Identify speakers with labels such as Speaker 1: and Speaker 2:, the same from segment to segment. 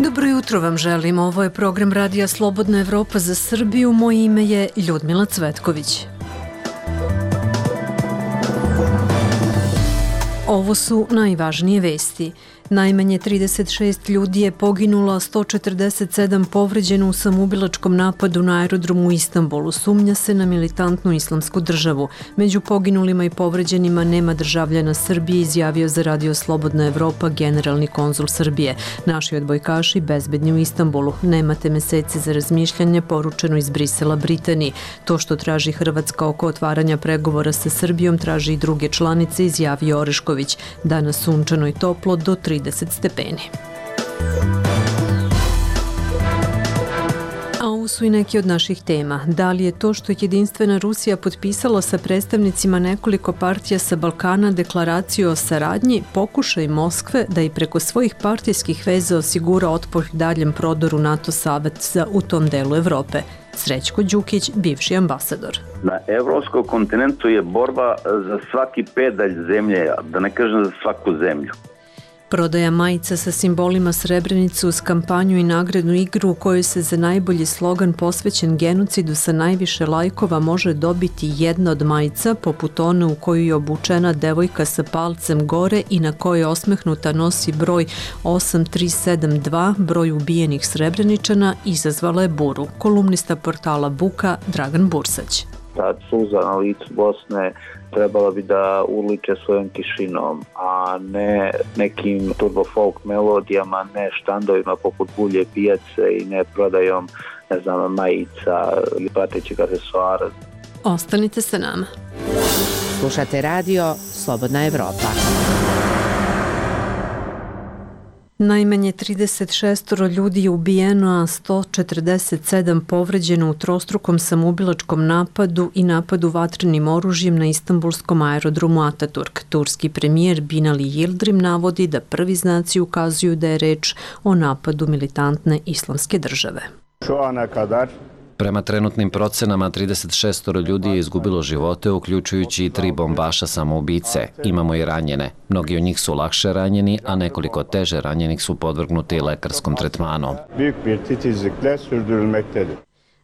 Speaker 1: Dobro jutro vam želim. Ovo je program Radija Slobodna Evropa za Srbiju. Moje ime je Ljudmila Cvetković. Ovo su najvažnije vesti. Najmanje 36 ljudi je poginulo, a 147 povređeno u samoubilačkom napadu na aerodromu u Istanbulu. Sumnja se na militantnu islamsku državu. Među poginulima i povređenima nema državljana Srbije, izjavio za Radio Slobodna Evropa generalni konzul Srbije. Naši odbojkaši bezbedni u Istanbulu. Nemate meseci za razmišljanje, poručeno iz Brisela Britaniji. To što traži Hrvatska oko otvaranja pregovora sa Srbijom traži i druge članice, izjavio Orešković. Danas sunčano i toplo do 30 stepeni. A ovo su i neki od naših tema. Da li je to što je Jedinstvena Rusija potpisala sa predstavnicima nekoliko partija sa Balkana deklaraciju o saradnji, pokušaj Moskve da i preko svojih partijskih veza osigura otpor daljem prodoru NATO saveza u tom delu Evrope? Srećko Đukić, bivši ambasador.
Speaker 2: Na evropskom kontinentu je borba za svaki pedalj zemlje, da ne kažem za svaku zemlju.
Speaker 1: Prodaja majica sa simbolima Srebrenice uz kampanju i nagradnu igru u kojoj se za najbolji slogan posvećen genocidu sa najviše lajkova može dobiti jedna od majica, poput one u koju je obučena devojka sa palcem gore i na kojoj osmehnuta nosi broj 8372, broj ubijenih Srebreničana, izazvala je buru. Kolumnista portala Buka Dragan Bursać.
Speaker 3: Ta suza na licu Bosne trebala bi da urliče svojom tišinom, a ne nekim turbo folk melodijama, ne štandovima poput Bulje pijace i ne prodajom, majica ili pratećeg aksesuara.
Speaker 1: Ostanite sa nama.
Speaker 4: Slušate radio Slobodna Evropa.
Speaker 1: Najmanje 36 ljudi je ubijeno, a 147 povređeno u trostrukom samoubilačkom napadu i napadu vatrenim oružjem na istanbulskom aerodromu Ataturk. Turski premijer Binali Yildirim navodi da prvi znaci ukazuju da je reč o napadu militantne islamske države.
Speaker 5: Prema trenutnim procenama, 36 ljudi je izgubilo živote, uključujući i 3 bombaša samoubice. Imamo i ranjene. Mnogi od njih su lakše ranjeni, a nekoliko teže ranjenih su podvrgnuti lekarskom tretmanu.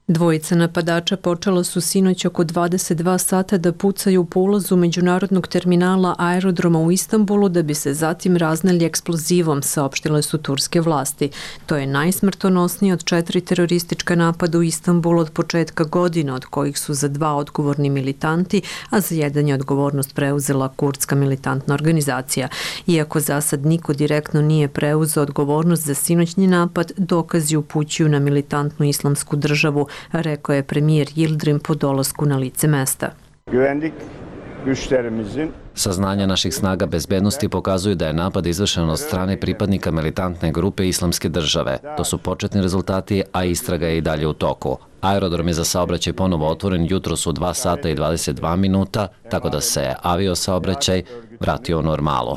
Speaker 1: Dvojica napadača počela su sinoć oko 22 sata da pucaju po ulazu međunarodnog terminala aerodroma u Istanbulu da bi se zatim razneli eksplozivom, saopštile su turske vlasti. To je najsmrtonosniji od 4 teroristička napada u Istanbulu od početka godine, od kojih su za 2 odgovorni militanti, a za jedan je odgovornost preuzela kurdska militantna organizacija. Iako za sad niko direktno nije preuzeo odgovornost za sinoćni napad, dokazi upućuju na militantnu islamsku državu, rekao je premijer Yildirim po dolasku na lice mesta.
Speaker 5: Saznanja naših snaga bezbednosti pokazuju da je napad izvršen od strane pripadnika militantne grupe Islamske države. To su početni rezultati, a istraga je i dalje u toku. Aerodrom je za saobraćaj ponovo otvoren jutros u 2 sata i 22 minuta, tako da se aviosaobraćaj vratio u normalu.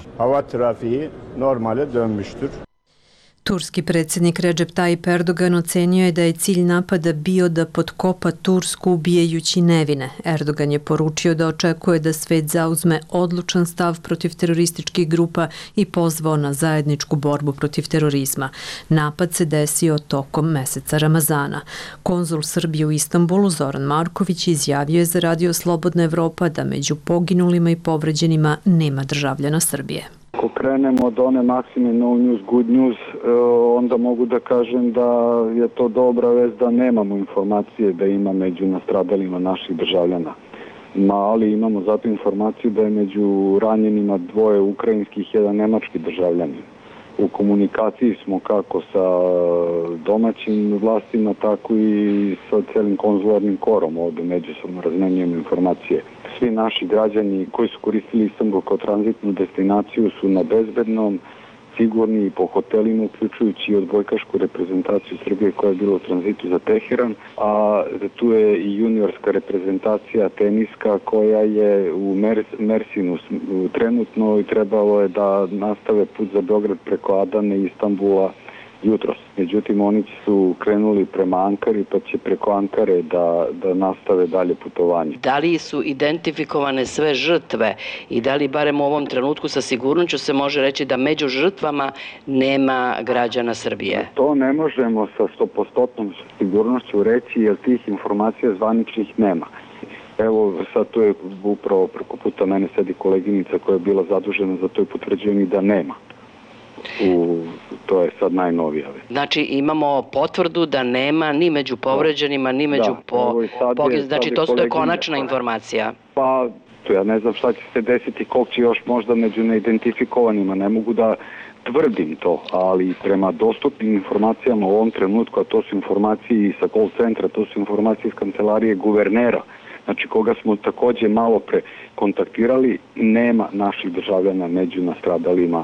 Speaker 1: Turski predsjednik Recep Tayyip Erdogan ocenio je da je cilj napada bio da potkopa Tursku ubijajući nevine. Erdogan je poručio da očekuje da svet zauzme odlučan stav protiv terorističkih grupa i pozvao na zajedničku borbu protiv terorizma. Napad se desio tokom meseca Ramazana. Konzul Srbije u Istanbulu Zoran Marković izjavio je za Radio Slobodna Evropa da među poginulima i povređenima nema državljana Srbije.
Speaker 6: Ako krenemo od one maksime no news, good news, onda mogu da kažem da je to dobra vest da nemamo informacije da ima među nastradalima naših državljana. Ali imamo zato informaciju da je među ranjenima 2 ukrajinskih i 1 nemački državljanin. U komunikaciji smo kako sa domaćim vlastima, tako i sa celim konzularnim korom, ovdje međusobno razmenjujemo informacije. Svi naši građani koji su koristili Istanbul kao tranzitnu destinaciju su na bezbednom, sigurni po hotelima, uključujući i odbojkašku reprezentaciju Srbije koja je bila u tranzitu za Teheran, a tu je i juniorska reprezentacija teniska koja je u Mersinu trenutno i trebalo je da nastave put za Beograd preko Adane i Istanbula jutros. Međutim, oni su krenuli prema Ankari, pa će preko Ankare da nastave dalje putovanje.
Speaker 7: Da li su identifikovane sve žrtve i da li barem u ovom trenutku sa sigurnošću se može reći da među žrtvama nema građana Srbije?
Speaker 6: To ne možemo sa 100% sigurnošću reći, jer tih informacija zvaničnih nema. Evo, sad tu je upravo preko puta mene sedi koleginica koja je bila zadužena za to i potvrđuje mi da nema. To je sad najnovija.
Speaker 7: Znači imamo potvrdu da nema ni među povređenima, ni među znači to je konačna informacija.
Speaker 6: Pa, ja ne znam šta će se desiti, koliko će još možda među neidentifikovanima, ne mogu da tvrdim to, ali prema dostupnim informacijama u ovom trenutku, a to su informacije sa call centra, to su informacije iz kancelarije guvernera, znači koga smo takođe malo pre kontaktirali, nema naših državljana među nastradalima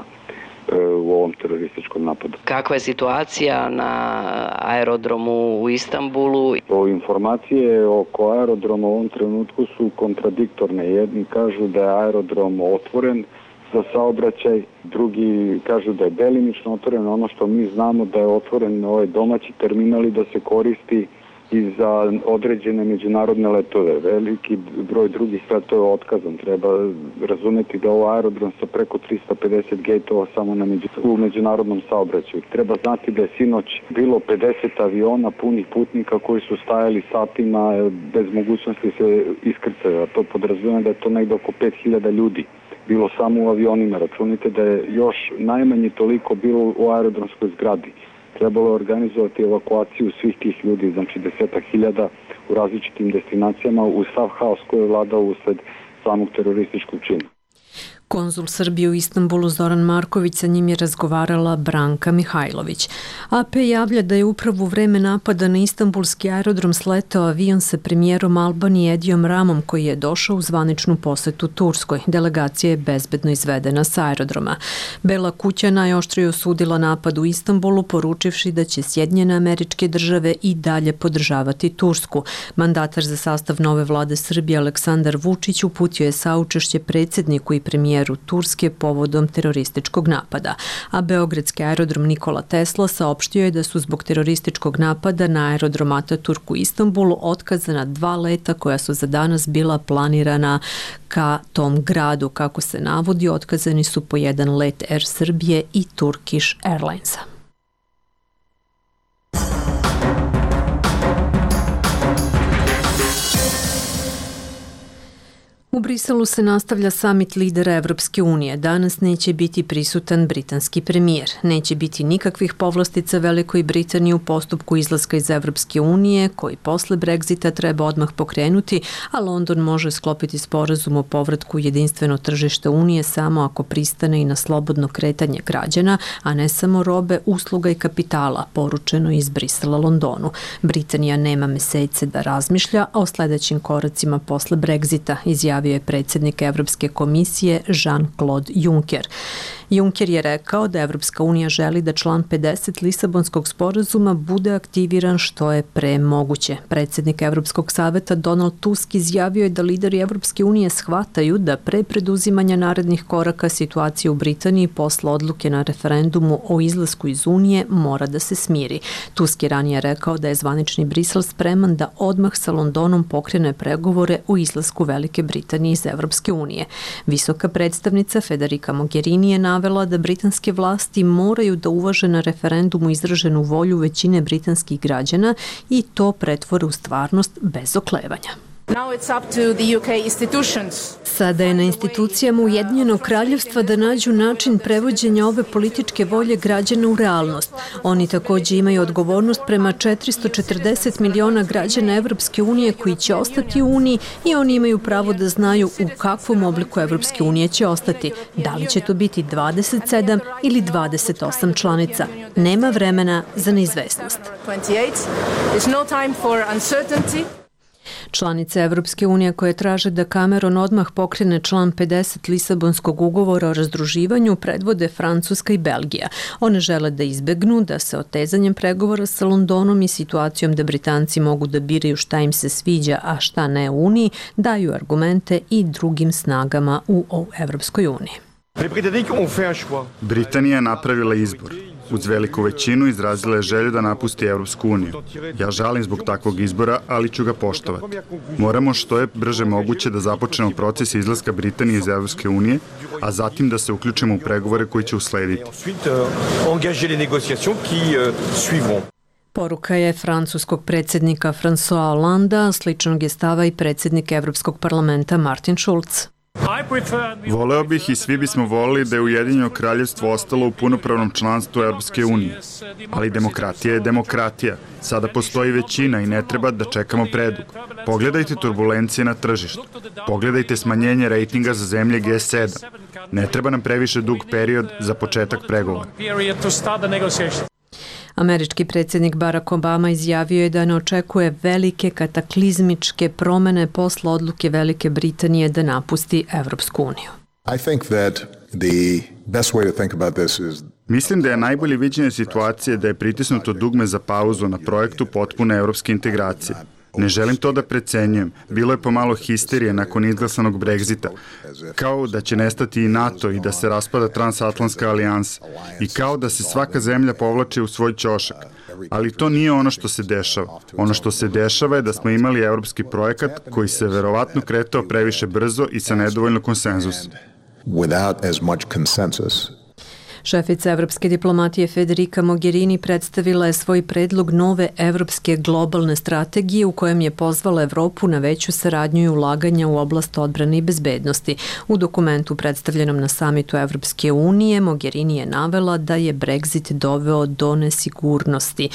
Speaker 6: u ovom terorističkom napadu.
Speaker 7: Kakva je situacija na aerodromu u Istanbulu?
Speaker 6: Informacije oko aerodroma u ovom trenutku su kontradiktorne. Jedni kažu da je aerodrom otvoren za saobraćaj, drugi kažu da je delimično otvoren. Ono što mi znamo da je otvoren ovaj domaći terminal i da se koristi i za određene međunarodne letove. Veliki broj drugih letova je otkazan. Treba razumeti da ovo aerodrom sa preko 350 gejtova samo u međunarodnom saobraćaju. Treba znati da je sinoć bilo 50 aviona punih putnika koji su stajali satima bez mogućnosti se iskrcaju. A to podrazumijeva da je to negde oko 5000 ljudi bilo samo u avionima. Računite da je još najmanje toliko bilo u aerodromskoj zgradi. Trebalo je organizovati evakuaciju svih tih ljudi, znači 10.000 u različitim destinacijama u sav haos koji je vladao usled samog terorističkog čina.
Speaker 1: Konzul Srbije u Istanbulu Zoran Marković, sa njim je razgovarala Branka Mihajlović. AP javlja da je upravo u vreme napada na istanbulski aerodrom sletao avion sa premijerom Albanije Edijom Ramom koji je došao u zvaničnu posetu Turskoj. Delegacija je bezbedno izvedena sa aerodroma. Bela kuća najoštrije osudila napad u Istanbulu, poručivši da će Sjedinjene Američke Države i dalje podržavati Tursku. Mandatar za sastav nove vlade Srbije Aleksandar Vučić uputio je saučešće predsjedniku i premijeru Turske povodom terorističkog napada, a beogradski aerodrom Nikola Tesla saopštio je da su zbog terorističkog napada na aerodrom Ataturk u Istanbulu otkazana 2 leta koja su za danas bila planirana ka tom gradu. Kako se navodi, otkazani su po 1 let Air Srbije i Turkish Airlinesa. U Briselu se nastavlja samit lidera Evropske unije. Danas neće biti prisutan britanski premijer. Neće biti nikakvih povlastica Velikoj Britaniji u postupku izlaska iz Evropske unije, koji posle Brexita treba odmah pokrenuti, a London može sklopiti sporazum o povratku u jedinstveno tržište unije samo ako pristane i na slobodno kretanje građana, a ne samo robe, usluga i kapitala, poručeno iz Brisela Londonu. Britanija nema mesece da razmišlja o sledećim koracima posle Brexita, izjavio je predsjednik Evropske komisije Jean-Claude Juncker. Juncker je rekao da Evropska unija želi da član 50 Lisabonskog sporazuma bude aktiviran što je pre moguće. Predsjednik Evropskog saveta Donald Tusk izjavio je da lideri Evropske unije shvataju da pre preduzimanja narednih koraka situacija u Britaniji posle odluke na referendumu o izlasku iz Unije mora da se smiri. Tusk je ranije rekao da je zvanični Brisel spreman da odmah sa Londonom pokrene pregovore o izlasku Velike Britanije iz Evropske unije. Visoka predstavnica Federica Mogherini je navela da britanske vlasti moraju da uvaže na referendumu izraženu volju većine britanskih građana i to pretvore u stvarnost bez oklevanja. Sada je na institucijama Ujedinjenog kraljevstva da nađu način prevođenja ove političke volje građana u realnost. Oni također imaju odgovornost prema 440 miliona građana Evropske unije koji će ostati u Uniji i oni imaju pravo da znaju u kakvom obliku Evropske unije će ostati. Da li će to biti 27 ili 28 članica? Nema vremena za neizvesnost. Članice Evropske unije koje traže da Cameron odmah pokrene član 50 Lisabonskog ugovora o razdruživanju predvode Francuska i Belgija. One žele da izbegnu da se otezanjem pregovora sa Londonom i situacijom da Britanci mogu da biraju šta im se sviđa, a šta ne u Uniji, daju argumente i drugim snagama u Evropskoj uniji.
Speaker 8: Britanija je napravila izbor. uz veliku većinu, izrazila je želju da napusti Evropsku uniju. Ja žalim zbog takvog izbora, ali ću ga poštovati. Moramo što je brže moguće da započnemo proces izlaska Britanije iz Evropske unije, a zatim da se uključimo u pregovore koji će uslediti.
Speaker 1: Poruka je francuskog predsjednika François Hollanda, sličnog je stava i predsjednik Evropskog parlamenta Martin Schulz.
Speaker 8: Voleo bih i svi bismo volili da je Ujedinjeno kraljevstvo ostalo u punopravnom članstvu Evropske unije. Ali demokratija je demokratija. Sada postoji većina i ne treba da čekamo predugo. Pogledajte turbulencije na tržištu. Pogledajte smanjenje rejtinga za zemlje G7. Ne treba nam previše dug period za početak pregovora.
Speaker 1: Američki predsjednik Barack Obama izjavio je da ne očekuje velike kataklizmičke promene posle odluke Velike Britanije da napusti Evropsku uniju.
Speaker 8: Mislim da je najbolje viđenje situacije da je pritisnuto dugme za pauzu na projektu potpune evropske integracije. Ne želim to da precenjujem. Bilo je pomalo histerije nakon izglasanog Brexita. Kao da će nestati i NATO i da se raspada transatlantska alijansa. I kao da se svaka zemlja povlači u svoj ćošak. Ali to nije ono što se dešava. Ono što se dešava je da smo imali evropski projekat koji se verovatno kretao previše brzo i sa nedovoljno konsenzusa.
Speaker 1: Šefica evropske diplomatije Federica Mogherini predstavila je svoj predlog nove evropske globalne strategije u kojem je pozvala Evropu na veću saradnju i ulaganja u oblast odbrane i bezbednosti. U dokumentu predstavljenom na samitu Evropske unije Mogherini je navela da je Brexit doveo do nesigurnosti.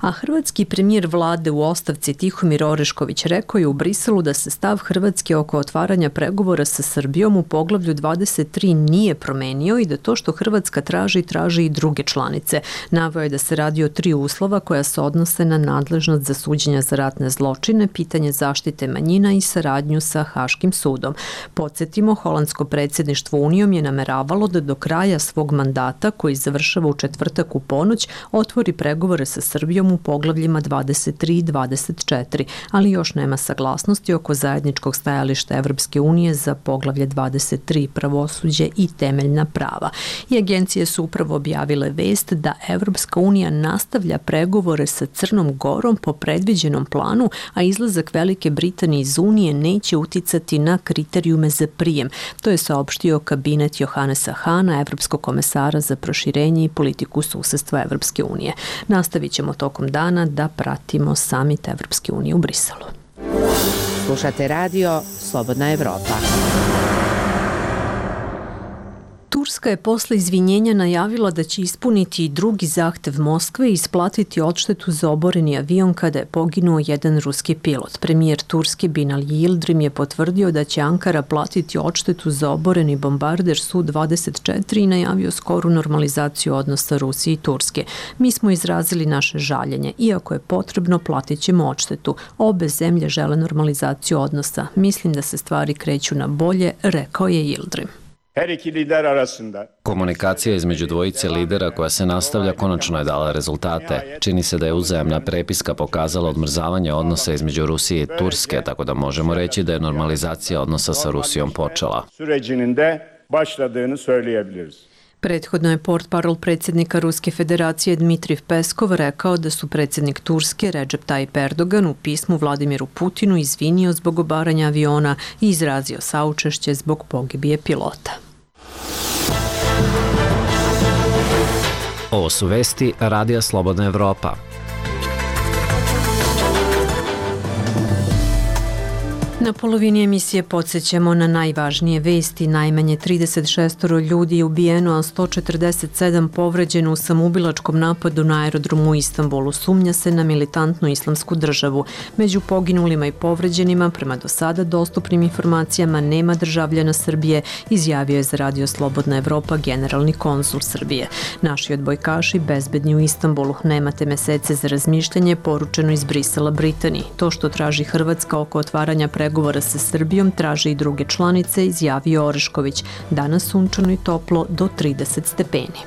Speaker 1: A hrvatski premijer vlade u ostavci Tihomir Orešković rekao je u Briselu da se stav Hrvatske oko otvaranja pregovora sa Srbijom u poglavlju 23 nije promenio i da to što Hrvatska traži i druge članice. Naveo je da se radi o 3 uslova koja se odnose na nadležnost za suđenja za ratne zločine, pitanje zaštite manjina i saradnju sa Haškim sudom. Podsjetimo, holandsko predsjedništvo Unijom je nameravalo da do kraja svog mandata, koji završava u četvrtak u ponoć, otvori pregovore sa Srbijom u poglavljima 23 i 24, ali još nema saglasnosti oko zajedničkog stajališta Evropske unije za poglavlje 23 pravosuđe i temeljna prava. I agencije su upravo objavile vest da Evropska unija nastavlja pregovore sa Crnom Gorom po predviđenom planu, a izlazak Velike Britanije iz Unije neće uticati na kriterijume za prijem. To je saopštio kabinet Johannesa Hana, evropskog komesara za proširenje i politiku susedstva Evropske unije. Nastavit ćemo tokom dana da pratimo samit Evropske unije u Briselu.
Speaker 4: Slušate radio Slobodna Evropa.
Speaker 1: Turska je posle izvinjenja najavila da će ispuniti drugi zahtev Moskve i isplatiti odštetu za oboreni avion kada je poginuo jedan ruski pilot. Premijer Turske Binali Yildirim je potvrdio da će Ankara platiti odštetu za oboreni bombarder Su-24 i najavio skoru normalizaciju odnosa Rusije i Turske. Mi smo izrazili naše žaljenje. Iako je potrebno, platit ćemo odštetu. Obe zemlje žele normalizaciju odnosa. Mislim da se stvari kreću na bolje, rekao je Yildirim.
Speaker 5: Komunikacija između dvojice lidera koja se nastavlja konačno je dala rezultate. Čini se da je uzajamna prepiska pokazala odmrzavanje odnosa između Rusije i Turske, tako da možemo reći da je normalizacija odnosa sa Rusijom počela.
Speaker 1: Prethodno je portparol predsjednika Ruske federacije Dmitrij Peskov rekao da su predsjednik Turske Recep Tayyip Erdogan u pismu Vladimiru Putinu izvinio zbog obaranja aviona i izrazio saučešće zbog pogibije pilota.
Speaker 5: Ovo su vesti Radija Slobodna Evropa.
Speaker 1: Na polovini emisije podsjećamo na najvažnije vesti. Najmanje 36 ljudi je ubijeno, a 147 povređeno u samoubilačkom napadu na aerodromu u Istanbulu. Sumnja se na militantnu islamsku državu. Među poginulima i povređenima, prema do sada dostupnim informacijama, nema državljana Srbije, izjavio je za Radio Slobodna Evropa generalni konsul Srbije. Naši odbojkaši bezbedni u Istanbulu. Nemate mesece za razmišljanje, poručeno iz Brisela Britaniji. To što traži Hrvatska oko otvaranja pregovora sa Srbijom traže i druge članice, izjavio Orešković. Danas sunčano i toplo do 30 stepeni.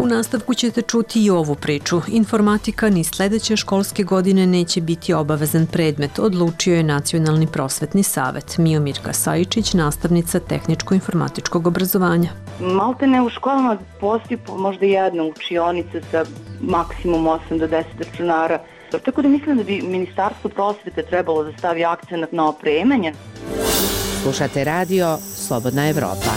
Speaker 1: U nastavku ćete čuti i ovu priču. Informatika ni sledeće školske godine neće biti obavezan predmet, odlučio je Nacionalni prosvetni savet. Miomirka Sajičić, nastavnica tehničko-informatičkog obrazovanja.
Speaker 9: Maltene u školama postoji možda jedna učionica sa maksimum 8 do 10 računara. Tako da mislim da bi Ministarstvo prosvete trebalo da stavi akcenat na opremanje.
Speaker 4: Slušate radio Slobodna Evropa.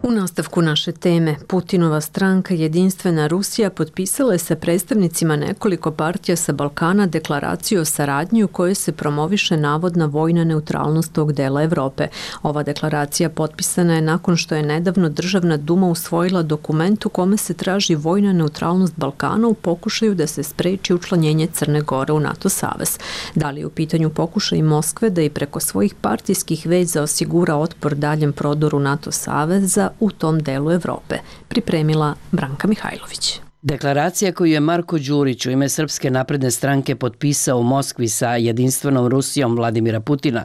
Speaker 1: U nastavku naše teme, Putinova stranka Jedinstvena Rusija potpisala je sa predstavnicima nekoliko partija sa Balkana deklaraciju o saradnji u kojoj se promoviše navodna vojna neutralnost tog dela Evrope. Ova deklaracija potpisana je nakon što je nedavno Državna duma usvojila dokument u kome se traži vojna neutralnost Balkana u pokušaju da se spreči učlanjenje Crne Gore u NATO savez. Da li je u pitanju pokušaj Moskve da i preko svojih partijskih veza osigura otpor daljem prodoru NATO saveza u tom delu Evrope, pripremila Branka Mihajlović.
Speaker 10: Deklaracija koju je Marko Đurić u ime Srpske napredne stranke potpisao u Moskvi sa Jedinstvenom Rusijom Vladimira Putina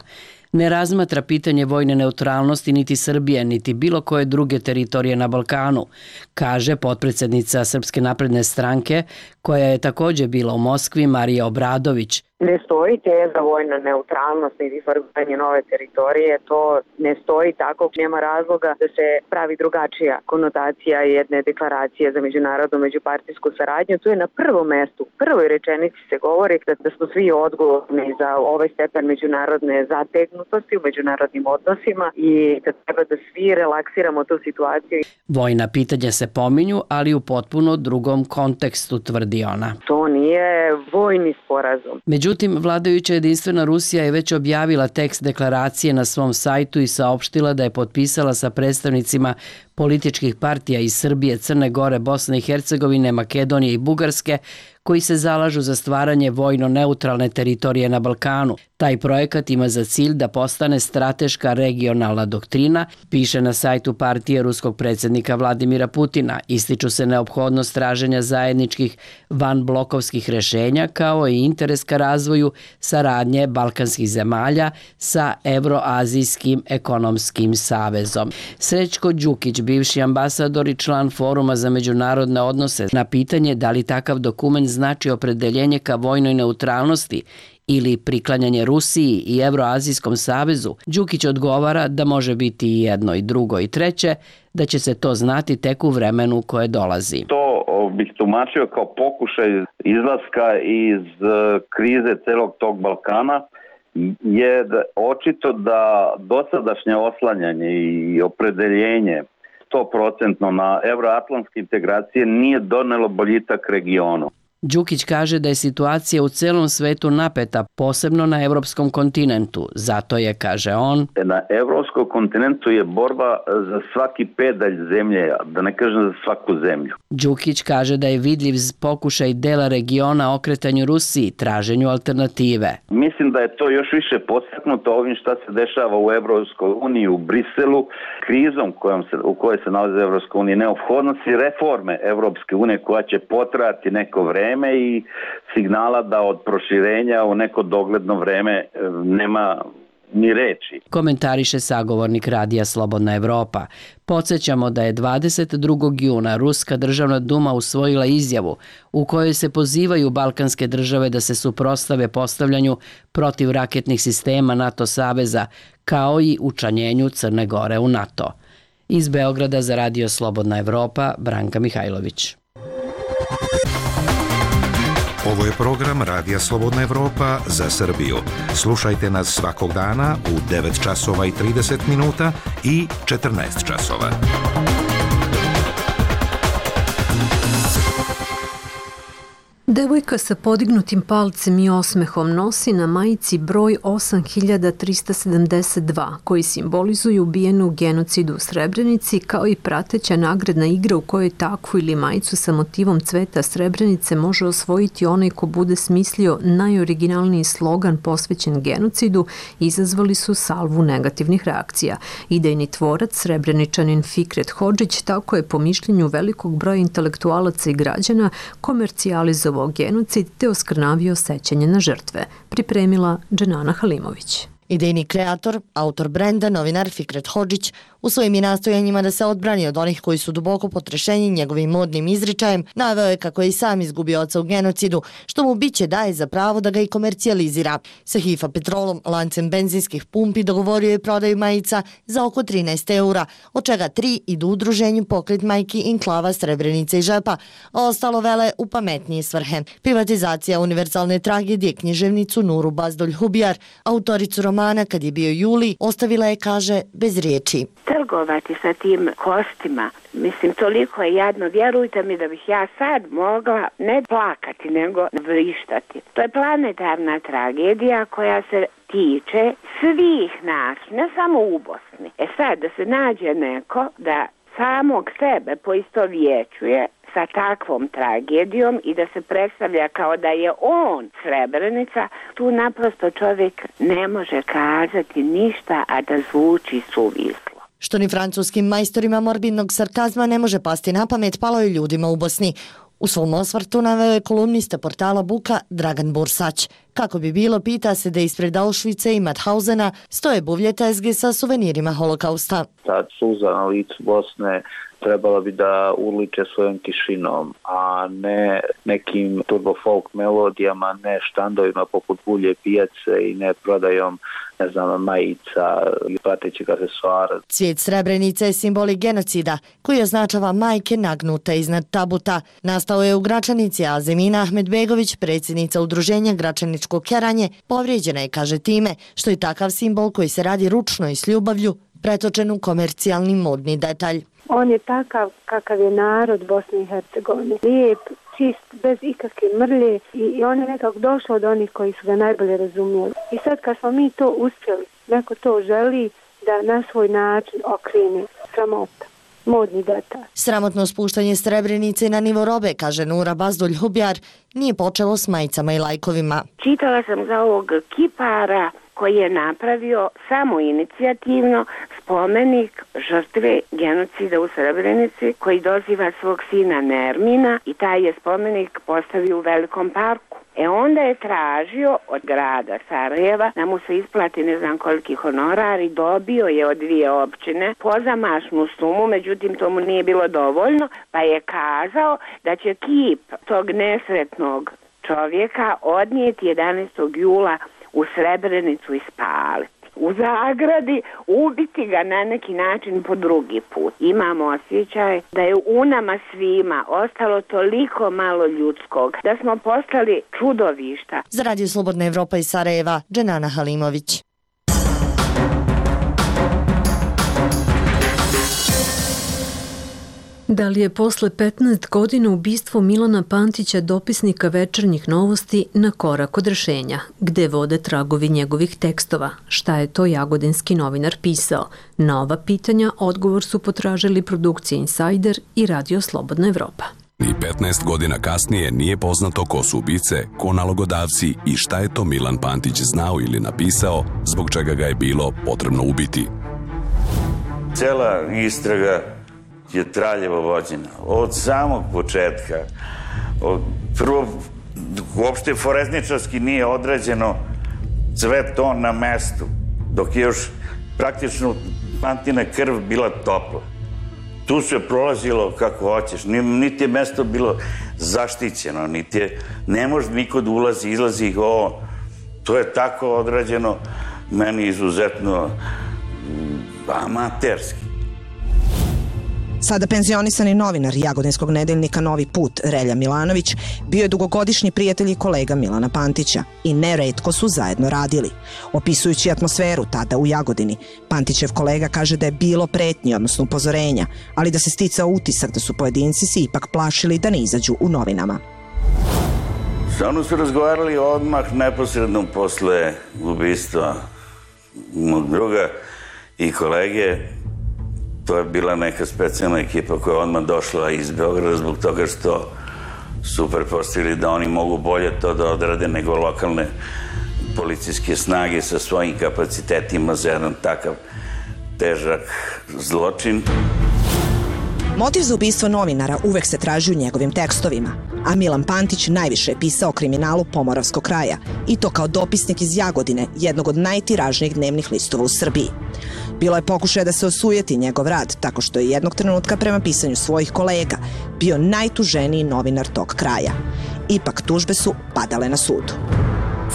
Speaker 10: ne razmatra pitanje vojne neutralnosti niti Srbije, niti bilo koje druge teritorije na Balkanu, kaže potpredsednica Srpske napredne stranke, koja je takođe bila u Moskvi, Marija Obradović.
Speaker 11: Ne stoji teza vojna neutralnost niti formiranje nove teritorije, to ne stoji tako, nema razloga da se pravi drugačija konotacija jedne deklaracije za međunarodnu međupartijsku saradnju. Tu je na prvom mestu, u prvoj rečenici se govori da smo svi odgovorni za ovaj stepen međunarodne zategnutosti u međunarodnim odnosima i da treba da svi relaksiramo tu situaciju.
Speaker 10: Vojna pitanja se pominju, ali u potpuno drugom kontekstu, tvrdi ona.
Speaker 11: To nije vojni sporazum.
Speaker 10: Međutim, vladajuća Jedinstvena Rusija je već objavila tekst deklaracije na svom sajtu i saopštila da je potpisala sa predstavnicima političkih partija iz Srbije, Crne Gore, Bosne i Hercegovine, Makedonije i Bugarske, koji se zalažu za stvaranje vojno-neutralne teritorije na Balkanu. Taj projekat ima za cilj da postane strateška regionalna doktrina, piše na sajtu partije ruskog predsjednika Vladimira Putina. Ističu se neophodnost traženja zajedničkih vanblokovskih rešenja, kao i interes ka razvoju saradnje balkanskih zemalja sa Evroazijskim ekonomskim savezom. Srećko Đukić, bivši ambasador i član Foruma za međunarodne odnose, na pitanje da li takav dokument znači opredeljenje ka vojnoj neutralnosti ili priklanjanje Rusiji i Evroazijskom savezu, Đukić odgovara da može biti i jedno i drugo i treće, da će se to znati tek u vremenu koje dolazi.
Speaker 2: To bih tumačio kao pokušaj izlaska iz krize celog tog Balkana, je očito da dosadašnje oslanjanje i opredeljenje 100% na evroatlantske integracije nije donelo boljitak regionu.
Speaker 10: Đukić kaže da je situacija u celom svetu napeta, posebno na evropskom kontinentu. Zato je, kaže on,
Speaker 2: na evropskom kontinentu je borba za svaki pedalj zemlje, da ne kažem za svaku zemlju.
Speaker 10: Đukić kaže da je vidljiv pokušaj dela regiona okretanju Rusiji, traženju alternative.
Speaker 2: Mislim da je to još više podstaknuto ovim šta se dešava u Evropskoj uniji, u Briselu, krizom u kojoj se nalazi Evropska unija, neophodnosti reforme Evropske unije koja će potrajati neko vreme i signala da od proširenja u neko dogledno vreme nema ni reči.
Speaker 10: Komentariše sagovornik radija Slobodna Evropa. Podsjećamo da je 22. juna Ruska državna duma usvojila izjavu u kojoj se pozivaju balkanske države da se suprotstave postavljanju protivraketnih sistema NATO saveza, kao i učlanjenju Crne Gore u NATO. Iz Beograda za radio Slobodna Evropa, Branka Mihajlović.
Speaker 12: Ovo je program Radija Slobodna Evropa za Srbiju. Slušajte nas svakog dana u 9 časova i 30 minuta i 14 časova.
Speaker 1: Devojka sa podignutim palcem i osmehom nosi na majici broj 8372, koji simbolizuju ubijenu u genocidu u Srebrenici, kao i prateća nagradna igra u kojoj takvu ili majicu sa motivom cveta Srebrenice može osvojiti onaj ko bude smislio najoriginalniji slogan posvećen genocidu, izazvali su salvu negativnih reakcija. Idejni tvorac, Srebreničanin Fikret Hodžić, tako je po mišljenju velikog broja intelektualaca i građana komercijalizovao genocid te oskrnavio sećanje na žrtve, pripremila Dženana Halimović.
Speaker 13: Idejni kreator, autor brenda, novinar Fikret Hodžić U svojim nastojanjima da se odbrani od onih koji su duboko potrešeni njegovim modnim izričajem, naveo je kako je i sam izgubio oca u genocidu, što mu biće daje za pravo da ga i komercijalizira. Sa Hifa Petrolom, lancem benzinskih pumpi, dogovorio je prodaju majica za oko 13 eura, od čega 3 idu udruženju Pokret majki Inklava Srebrenice i Žepa, a ostalo vele u pametnije svrhe. Privatizacija univerzalne tragedije književnicu Nuru Bazdulj Hubjar, autoricu romana Kad je bio juli, ostavila je, kaže, bez riječi.
Speaker 14: Trgovati sa tim kostima, mislim, toliko je jadno, vjerujte mi da bih ja sad mogla ne plakati, nego vrištati. To je planetarna tragedija koja se tiče svih nas, ne samo u Bosni. Sad, da se nađe neko da samog sebe poistovjećuje sa takvom tragedijom i da se predstavlja kao da je on Srebrenica, tu naprosto čovjek ne može kazati ništa, a da zvuči suvislo.
Speaker 13: Što ni francuskim majstorima morbidnog sarkazma ne može pasti na pamet, palo je ljudima u Bosni. U svom osvrtu naveo je kolumnista portala Buka Dragan Bursać. Kako bi bilo, pita se da ispred Auschwitza i Mauthausena stoje buvlje tezge sa suvenirima holokausta.
Speaker 3: Ta suza na licu Bosne trebala bi da urliče svojom tišinom, a ne nekim turbo folk melodijama, ne štandovima poput bulje pijace i ne prodajom, ne znam, majica i pratećeg aksesuara.
Speaker 13: Cvijet Srebrenice je simbolik genocida koji označava majke nagnute iznad tabuta. Nastao je u Gračanici, a Zemina Ahmedbegović, predsjednica udruženja Gračaničko keranje, povrijeđena je, kaže, time što je takav simbol koji se radi ručno i s ljubavlju pretočen u komercijalni modni detalj.
Speaker 15: On je takav kakav je narod Bosne i Hercegovine. Lijep, čist, bez ikakve mrlje i on je nekako došao od onih koji su ga najbolje razumjeli. I sad kad smo mi to uspjeli, neko to želi da na svoj način okrene, sramota. Modni detalj.
Speaker 13: Sramotno spuštanje Srebrenice na nivo robe, kaže Nura Bazdulj Hubjar, nije počelo s majicama i lajkovima.
Speaker 14: Čitala sam za ovog kipara koji je napravio samoinicijativno spomenik žrtve genocida u Srebrenici koji doziva svog sina Nermina i taj je spomenik postavio u Velikom parku. Onda je tražio od grada Sarajeva da mu se isplati ne znam koliki honorar i dobio je od 2 općine pozamašnu sumu, međutim to mu nije bilo dovoljno, pa je kazao da će kip tog nesretnog čovjeka odnijeti 11. jula u Srebrenicu i spaliti. U zagradi, ubiti ga na neki način po drugi put. Imamo osjećaj da je u nama svima ostalo toliko malo ljudskog, da smo postali čudovišta.
Speaker 13: Za Radio Slobodna Evropa iz Sarajeva, Dženana Halimović.
Speaker 1: Da li je posle 15 godina ubistvo Milana Pantića, dopisnika Večernjih novosti, na korak od rešenja? Gde vode tragovi njegovih tekstova? Šta je to jagodinski novinar pisao? Na ova pitanja odgovor su potražili produkcija Insider i Radio Slobodna Evropa.
Speaker 16: Ni 15 godina kasnije nije poznato ko su ubice, ko nalogodavci i šta je to Milan Pantić znao ili napisao, zbog čega ga je bilo potrebno ubiti.
Speaker 17: Cela istraga je traljevo vođena. Od samog početka. Prvo, uopšte forenzničarski nije odrađeno sve to na mestu, dok je još praktično Pantina krv bila topla. Tu se prolazilo kako hoćeš, niti je mesto bilo zaštićeno, niti je, ne može niko da ulazi, izlazi ovo. To je tako odrađeno, meni izuzetno amaterski.
Speaker 18: Sada penzionisani novinar Jagodinskog nedeljnika Novi put, Relja Milanović, bio je dugogodišnji prijatelj i kolega Milana Pantića i neretko su zajedno radili. Opisujući atmosferu tada u Jagodini, Pantićev kolega kaže da je bilo pretnji, odnosno upozorenja, ali da se sticao utisak da su pojedinci se ipak plašili da ne izađu u novinama.
Speaker 17: Sa mnom su razgovarali odmah neposredno posle ubistva mog druga i kolege. To je bila neka specijalna ekipa koja je odmah došla iz Beograda zbog toga što su pretpostavili da oni mogu bolje to da odrade nego lokalne policijske snage sa svojim kapacitetima za jedan takav težak zločin.
Speaker 18: Motiv za ubistvo novinara uvek se traži u njegovim tekstovima, a Milan Pantić najviše je pisao o kriminalu Pomoravskog kraja, i to kao dopisnik iz Jagodine, jednog od najtiražnijih dnevnih listova u Srbiji. Bilo je pokušaja da se osujeti njegov rad, tako što je jednog trenutka prema pisanju svojih kolega bio najtuženiji novinar tog kraja. Ipak tužbe su padale na sudu.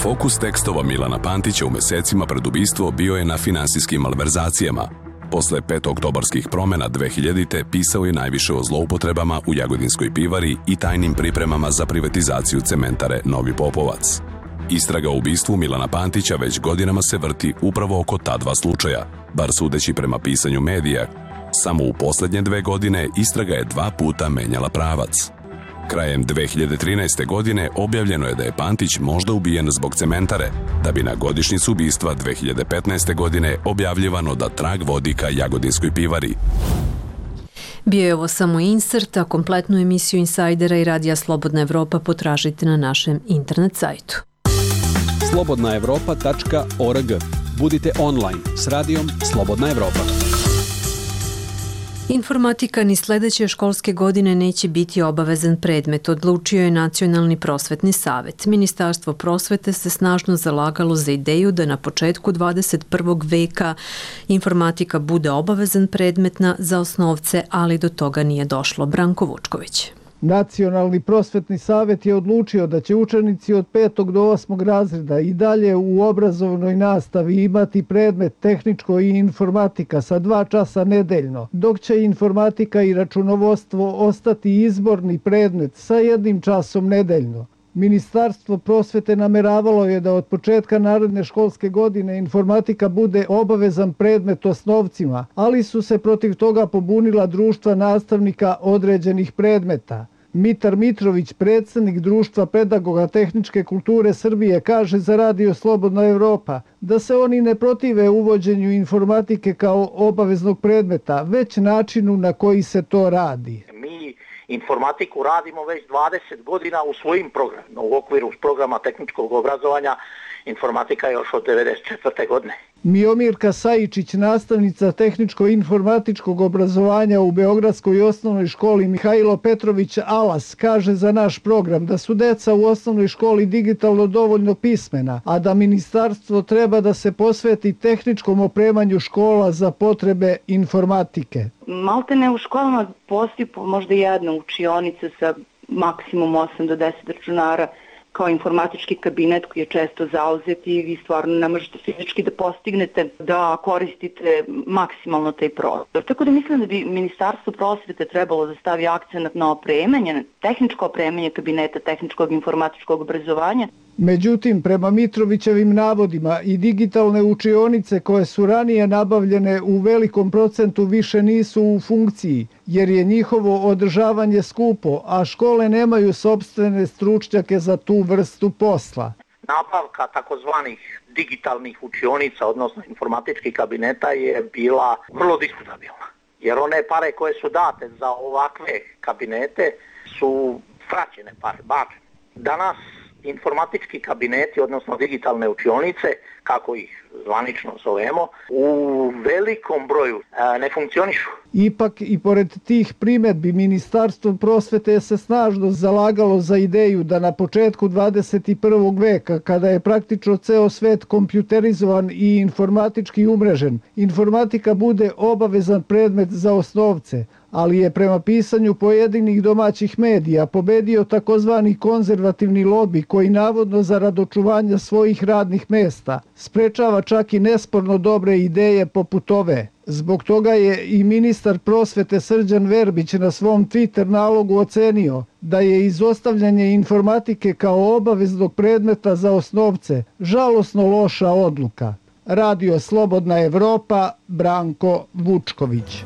Speaker 16: Fokus tekstova Milana Pantića u mesecima pred ubistvo bio je na finansijskim malverzacijama. Posle 5. oktobarskih promena 2000. pisao je najviše o zloupotrebama u Jagodinskoj pivari i tajnim pripremama za privatizaciju cementare Novi Popovac. Istraga o ubistvu Milana Pantića već godinama se vrti upravo oko ta dva slučaja, bar sudeći prema pisanju medija. Samo u poslednje 2 godine istraga je 2 puta menjala pravac. Krajem 2013. godine objavljeno je da je Pantić možda ubijen zbog cementare, da bi na godišnjicu ubistva 2015. godine objavljivano da trag vodi ka Jagodinskoj pivari.
Speaker 1: Bio je ovo samo insert, a kompletnu emisiju Insajdera i Radija Slobodna Evropa potražite na našem internet sajtu.
Speaker 19: slobodnaevropa.org. Budite online s radijom Slobodna Evropa.
Speaker 1: Informatika ni sledeće školske godine neće biti obavezan predmet, odlučio je Nacionalni prosvetni savet. Ministarstvo prosvete se snažno zalagalo za ideju da na početku 21. veka informatika bude obavezan predmetna za osnovce, ali do toga nije došlo. Branko Vučković.
Speaker 20: Nacionalni prosvetni savet je odlučio da će učenici od 5. do 8. razreda i dalje u obrazovnoj nastavi imati predmet tehničko i informatika sa 2 časa nedeljno, dok će informatika i računovodstvo ostati izborni predmet sa 1 časom nedeljno. Ministarstvo prosvete nameravalo je da od početka naredne školske godine informatika bude obavezan predmet osnovcima, ali su se protiv toga pobunila društva nastavnika određenih predmeta. Mitar Mitrović, predsednik Društva pedagoga tehničke kulture Srbije, kaže za Radio Slobodna Evropa da se oni ne protive uvođenju informatike kao obaveznog predmeta, već načinu na koji se to radi.
Speaker 21: Mi informatiku radimo već 20 godina u svojim programima, u okviru programa tehničkog obrazovanja. Informatika je još od 1994. godine.
Speaker 20: Miomirka Sajičić, nastavnica tehničko-informatičkog obrazovanja u Beogradskoj osnovnoj školi Mihajlo Petrović Alas, kaže za naš program da su deca u osnovnoj školi digitalno dovoljno pismena, a da ministarstvo treba da se posveti tehničkom opremanju škola za potrebe informatike.
Speaker 9: Maltene u školama postoji možda jedna učionica sa maksimum 8 do 10 računara, kao informatički kabinet koji je često zauzet i vi stvarno ne možete fizički da postignete da koristite maksimalno taj prostor. Tako da mislim da bi Ministarstvo prosvete trebalo da stavi akcenat na opremanje, tehničko opremanje kabineta tehničkog informatičkog obrazovanja.
Speaker 20: Međutim, prema Mitrovićevim navodima i digitalne učionice koje su ranije nabavljene u velikom procentu više nisu u funkciji, jer je njihovo održavanje skupo, a škole nemaju sopstvene stručnjake za tu vrstu posla.
Speaker 21: Nabavka takozvanih digitalnih učionica, odnosno informatičkih kabineta, je bila vrlo diskutabilna. Jer one pare koje su date za ovakve kabinete su fraćene pare, bačene. Danas informatički kabineti, odnosno digitalne učionice, kako ih zvanično zovemo, u velikom broju ne funkcionišu.
Speaker 20: Ipak i pored tih primedbi Ministarstvo prosvete se snažno zalagalo za ideju da na početku 21. veka, kada je praktično ceo svet kompjuterizovan i informatički umrežen, informatika bude obavezan predmet za osnovce, ali je prema pisanju pojedinih domaćih medija pobedio takozvani konzervativni lobi koji navodno zarad očuvanja svojih radnih mesta sprečava čak i nesporno dobre ideje poput ove. Zbog toga je i ministar prosvete Srđan Verbić na svom Twitter nalogu ocenio da je izostavljanje informatike kao obaveznog predmeta za osnovce žalosno loša odluka. Radio Slobodna Evropa, Branko Vučković.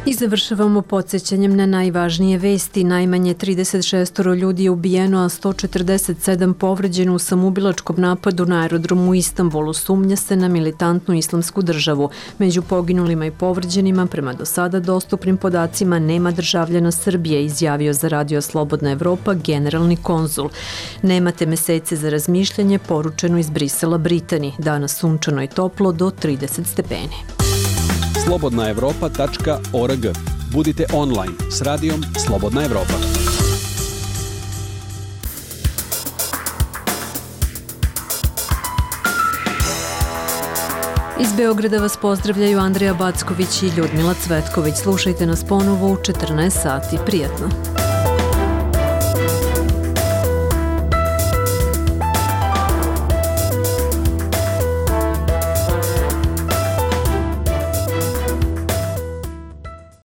Speaker 1: I završavamo podsjećanjem na najvažnije vesti. Najmanje 36 ljudi je ubijeno, a 147 povređeno u samoubilačkom napadu na aerodromu u Istanbulu. Sumnja se na militantnu islamsku državu. Među poginulima i povređenima, prema do sada dostupnim podacima, nema državljana Srbije, izjavio za Radio Slobodna Evropa generalni konzul. Nemate mesece za razmišljanje, poručeno iz Brisela Britani. Danas sunčano i toplo do 30 stepeni.
Speaker 19: slobodnaevropa.org. Budite online s radijom Slobodna Evropa.
Speaker 1: Iz Beograda vas pozdravljaju Andreja Backović i Ljudmila Cvetković. Slušajte nas ponovo u 14 sati. Prijatno!